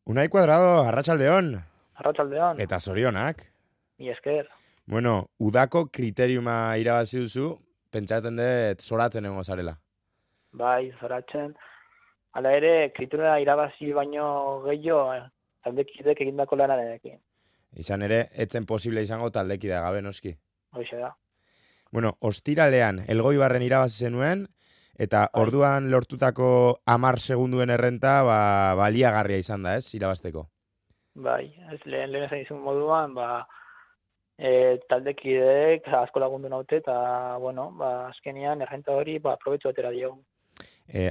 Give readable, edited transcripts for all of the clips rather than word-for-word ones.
Unai Cuadrado, arratsaldeon, Arratsaldeon, eta zorionak. mi esker. Bueno, udako kriteriuma irabazi duzu, pentsatzen dut zoratzen egongo zarela. Bai, zoratzen. Hala ere, kritura irabazi baino gehiago, taldekidek egindako lanarekin. Izan ere, etzen posible izango taldekidea gabe noski. Hoxe da. Bueno, ostiralean, Elgoibarren irabazi zenuen, eta Bai, orduan lortutako 10 segunduen errenta, baliagarria izan da, ez, irabazteko. bai. Ez lehen esan izun moduan, taldekideek asko lagundu naute, eta, bueno, azkenian errenta hori, aprobetxu atera diogu.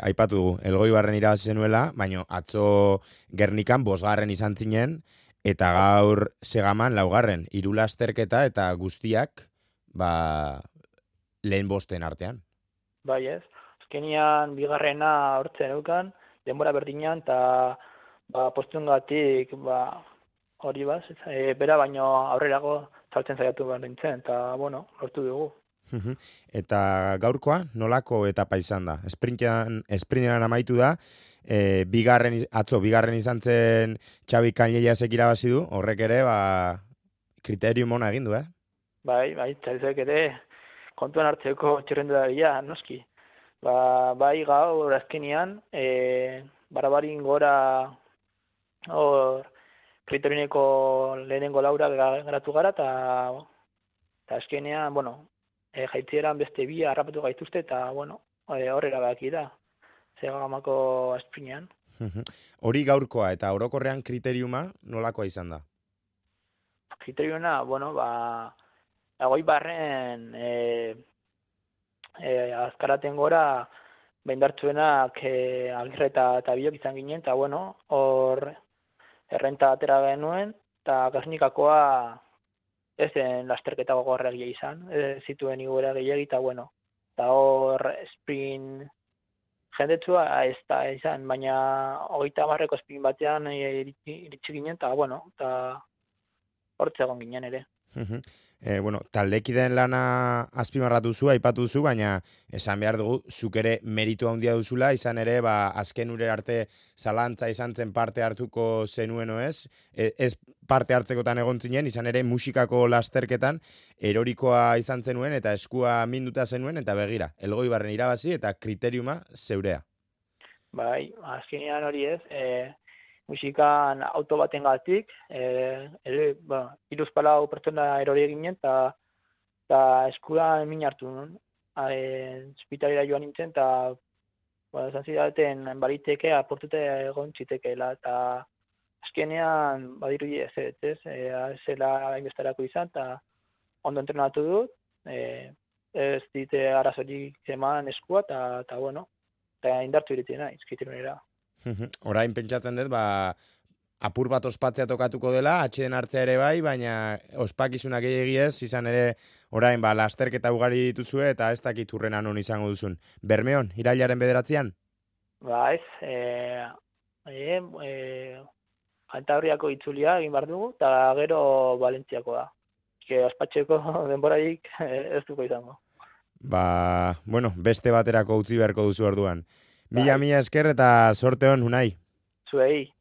Aipatu dugu, Elgoibarren irabazi zenuela, baino atzo Gernikan bosgarren izan zinen, eta Bai, gaur segaman laugarren, hiru lasterketa eta guztiak, lehen bosten artean. bai ez. Azkenian bigarrena hortzen eukan, denbora berdinean, eta postungatik, hori bera baino aurrerago saltzen saiatu behar nintzen, eta, bueno, lortu dugu. Mhm. Eta gaurkoa, nolako etapa izan da? Esprintean amaitu da, atzo bigarren izan zen Xabi Canellasek irabazi du, horrek ere, kriterium ona egin du, eh? Bai, txaizek ere kontuan hartzeko txirrendularia, noski. Bai gaur azkenian, barabarin gora hor kritorineko lehenengo laura geratu gara, eta azkenean, bueno, jaitzieran beste bi harrapatu gaituzte, eta, bueno, horrela baki da, zegamako esprinean. Mhm. Hori gaurkoa eta orokorrean kriteriuma nolakoa izan da? Kriteriona, bueno, agoi barren, azkaraten gora, behindartzuenak Agirre eta biok izan ginen, eta bueno, hor errenta atera genuen, eta Gernikakoa ez zen lasterketa gogorra egia izan, ez zituen igoera gehiagi, eta bueno, eta hor sprint jendetsua ez da izan, baina 30 sprint batean iritsi ginen, eta bueno, eta hortze egon ginen ere. Mhm. Bueno, taldekideen lana azpimarratu zu, aipatu duzu, baina esan behar dugu, zuk ere meritu handia duzula, izan ere, azken ure arte zalantza izan zen parte hartuko zenueno ez, ez parte hartzekotan egon zinen, izan ere musikako lasterketan erorikoa izan zenuen eta eskua minduta zenuen, eta begira, Elgoibarren irabazi eta kriteriuma zeurea. Bai, azkenean hori ez, musikan auto baten gatik, iruzpalau pertsona erori ginen, eta eskuran min hartu nuen. Hospitalera joan nintzen, eta esan zidaten baliteke aportute egon txitekeela, eta azkenean badirudi ez, zela hainbestarako izan, eta ondo entrenatu dut, ez dite arazorik eman eskua, eta bueno, eta indartu iritzen naiz, kriteriunera. Mhm. Orain pentsatzen dut, apur bat ospatzea tokatuko dela, atxeden hartzea ere bai, baina ospakizunak gehiagiez, izan ere orain lasterketa ugari dituzue eta ez dakit hurrena non izango duzun. Bermeon, irailaren 9. Ez, Kantabriako itzulia egin behar dugu, eta gero Valentziakoa. Ospatxeko denborarik ez duko izango. Bueno, beste baterako utzi beharko duzu orduan. Mila Bai, mila esker eta sorte hon, Unai. zuei.